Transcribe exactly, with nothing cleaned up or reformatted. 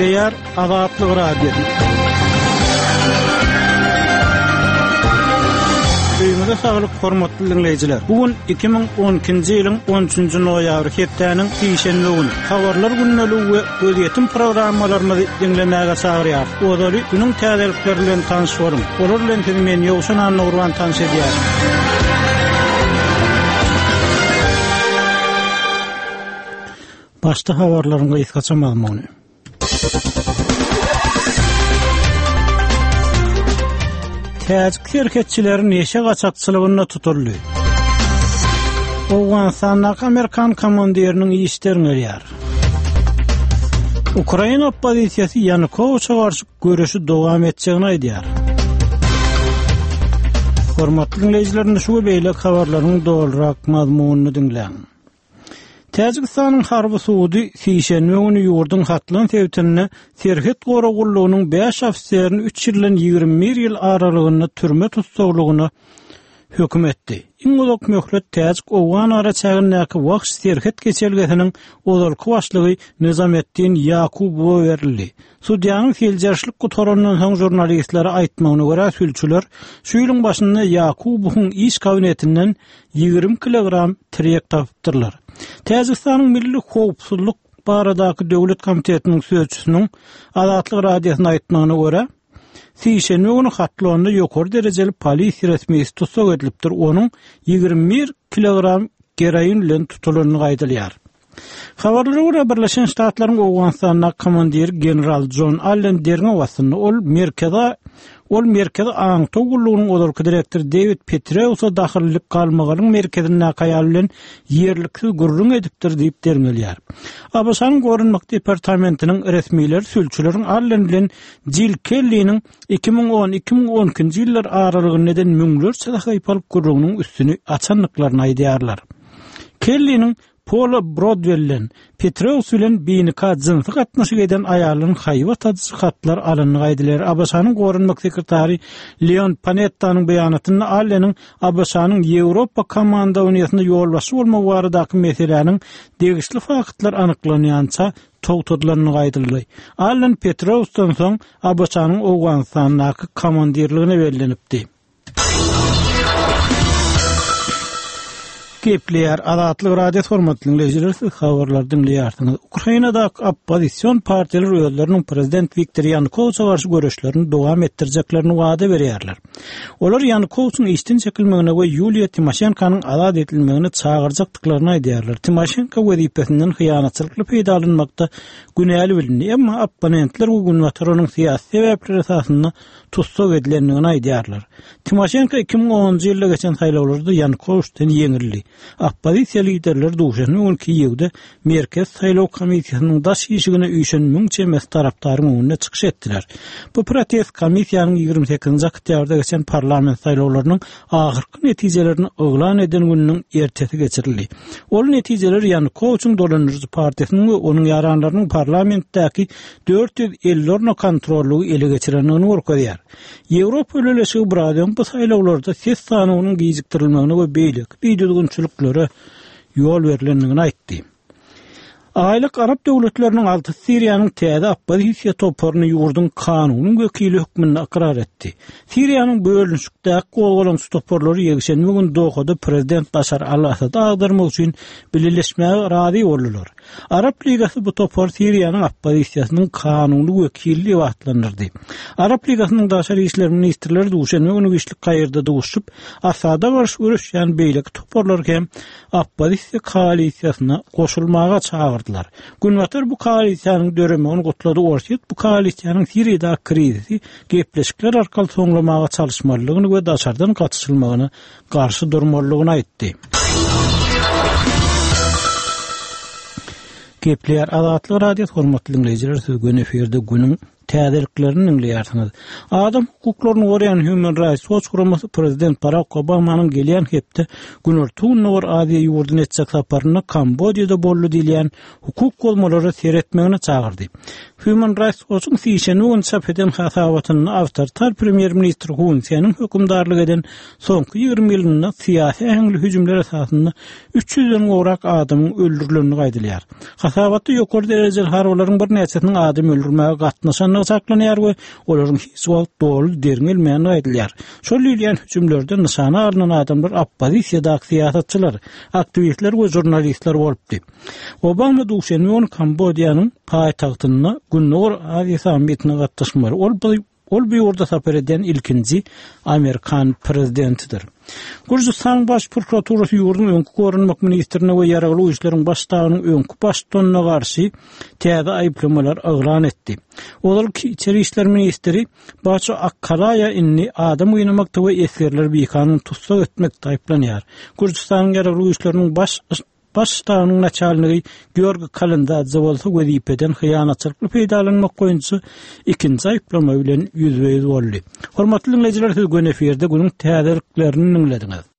Gepleýär Azatlyk Radiosy. Öýüňize saglyk hormatly dinleýjiler. Bu gün iki müň on ikinji ýylyň on üçünji noýabry hepdäniň sişenbe güni. Habarlar gündeligi we gözýetim programmalarymyzy diňlemäge çagyrýar. Ozaly günüň täzelikleri bilen tanyş boluň. Olar bilen sizi men Ýowşan Annagurban tanyş edýär. Başda habarlaryň gysgaça mazmuny. Täjik serhetçileri neşe gaçakçylygynda tutuldy. Owganystandaky Amerikan komandiriniň iş derňelýär. Ukraina oppozisiýasy Ýanukowiçe garşy göreşi dowam etjegini aýdýar. Hormatly dinleýjiler, şu we beýleki habarlaryň dolurak mazmunyny diňläň. Täjikistanyň harby sudy sişenbe güni ýurduň Hatlan sebitinde serhet gorag gullugynyň bäş ofiserini üç ýyldan ýigrimi bir ýyl aralygynda türme tussaglygyna höküm etdi. Iň uzak möhlet Täjik Owgan araçägindäki Wahş serhet geçelgesiniň ozalky başlygy Nizametdin Ýakubowa berildi. Sudýanyň seljerişlik gutarandan soň žurnalistlere aýtmagyna görä sülçüler şu ýylyň başynda Ýakubowyň iş kabinetinden ýigrimi kilogram tirek tapypdyrlar. Täjikistanyň Milli Howpsuzlyk baradaky Döwlet Komitetiniň sözçüsiniň Azatlyk Radiosyna aýtmagyna görä, sişenbe güni Hatlonda ýokary derejeli polisiýa resmisi tussag edilipdir. Onuň ýigrimi bir kilogram geroin bilen tutulanyny aýdylýar. Habarlara görä Birleşen Ştatlaryň Owganystanda komandiri general John Allen derňew astynda ol merkeze ol merkezi aňtaw gullugynyň ozalky direktory David Petraeus'a dahyllyk galmagalyň merkezindäki aýal bilen ýerliksiz gürrüň edipdir diýip derňelýär. A B Ş-nyň Goranmak departamentiniň resmileri sülçüleriň Allen bilen Jill Kelly'niň iki müň on iki müň on ikinji ýyllar aralygynda eden müňlerçe sahypalyk gürrüňiniň üstüni açandyklaryny aýdýarlar. Kelly'niň Paula Broadwell'den Petraeus bilen binika jynsy gatnaşyk eden aýalyň haýbat adyjy hatlar alyndy aýdylar. A B Ş-nyň Goranmak sekretary Leon Panetta'nyň beýanatynda Allen'iň A B Ş-nyň Ýewropa komandowaniýasyna ýolbaşçy bolmagy baradaky meseläniň degişli faktlar anyklanýança togtadylandygy aýdyldy. Allen Petraeus'dan soň A B Ş-nyň Owganystandaky komandirligine bellenipdi. Gepleýär Azatlyk Radiosy hormatly dinleýjiler, siz habarlary diňleýärsiňiz. Ukrainadaky oppozision partiýalar özleriniň prezident Wiktor Ýanukowiçe garşy göreşlerini dowam etdirjeklerini wada berýärler. Olar Ýanukowiçiň işden çekilmegine we Ýuliýa Timoşenkonyň azat edilmegine çagyrjakdyklaryny aýdýarlar. Timoşenko wezipesinden hyýanatçylykly peýdalanmakda günäli bilindi, emma opponentler bu günbatar onuň syýasy sebäpler esasynda tussag edilendigini aýdýarlar. Timoşenko iki müň onunjy ýylda geçen saýlawlarda Ýanukowiçden ýeňildi. Oppozisiýa liderleri duşenbe güni Kiýewde Merkez saýlaw komissiýasynyň daş işigine üýşen müň çemesi tarapdaryň öňünde çykyş etdiler. Bu protest komissiýanyň ýigrimi sekizinji oktýabrda geçen parlament saýlawlarynyň ahyrky netijelerini yglan eden gününiň ertesi geçirildi. Ol netijeler Ýanukowiçiň dolandyryjy partiýasynyň we onuň ýaranlarynyň parlamentdäki dört ýüz elli orna kontrollygy ele geçirendigini görkezýär. Ýewropa Bileleşigi biraz öň bu saýlawlarda ses sanynyň gijikdirilmegine we beýleki bidüzgünçiliklere ýol berlendigini aýtdy. Aýlyk Arap döwletleriniň alty Siriýanyň täze oppozisiýa toparyny ýurduň kanunyň wekili hökmünde ykrar etdi. Siriýanyň bölünişikdäki gozgalaňçy toparlary ýekşenbe gün Dohada prezident Başar al-Asady agdarmak üçin bileleşmäge razy boldular. Arap Ligasy bu topar Siriýanyň oppozisiýasynyň kanuny wekili diýip atlandyrdy. Arap Ligasynyň daşary işler ministrleri duşenbe güni giçlik Kaýirde duşup, Asada garşy göreşýän beýleki toparlar hem oppozisiýa koalisiýasyna goşulmaga çagyrdylar. Günbatar bu koalisiýanyň döremegini gutlady. Orsýet bu koalisiýanyň Siriýadaky krizisi gepleşikler arkaly soňlamaga çalyşmalydygyny we daşardan gatyşylmagyna garşy durmalydygyny aýtdy. Gepleýär Azatlyk Radiosy hormatly dinleýjiler, siz gün efirde günüň täzeliklerini diňleýärsiňiz. Adam hukuklaryny goraýan Human Rights Watch guramasy prezident Barak Obamanyň gelýän hepde Günorta-Gündogar Aziýa ýurduny etjek saparynda Kambodžada boldy diýilýän hukuk bozmalara seretmegine çagyrdy. Human Rights Watch-yň sişenbe güni çap eden hasabatynda awtoritar premýer-ministr Hun Seniň hökümdarlyk eden soňky ýigrimi ýylynda syýasy äheňli hüjümler esasynda üç ýüzden gowrak adamyň öldürilendigi aýdylýar. Hasabatda ýokary derejeli harbylaryň birnäçesiniň adam öldürmäge gatnaşandygy çaklanýar we olaryň hiç wagt doly derňelmändigi aýdylýar. Şol diýilýän hüjümlerde nyşana alnan adamlar oppozisiýadaky syýasatçylar, aktiwistler we žurnalistler bolupdy. Obama duşenbe güni Kambodžanyň paýtagtynda Gündogar Aziýa sammitine gatnaşmaly. Ol bu, ol bu ýurda sapar eden ilkinji Amerikan prezidentidir. Gürjüstanyň baş prokuraturasy ýurduň öňki goranmak ministrine we ýaragly güýçleriň baş ştabynyň öňki baştutanyna garşy täze aýyplamalar yglan etdi. Ozalky içeri işler ministri Baço Akkalaýa indi adam gynamakda we esgerleri bikanun tussag etmekde aýyplanýar. Gürjüstanyň ýaragly güýçleriniň baş, baş ştabynyň naçalnigi Georgi Kalendadze bolsa wezipeden hyýanatçylykly peýdalanmak boýunça ikinji aýyplama bilen ýüzbe-ýüz boldy. Hormatly dinleýjiler, siz gün efirde günüň täzeliklerini dinlediňiz.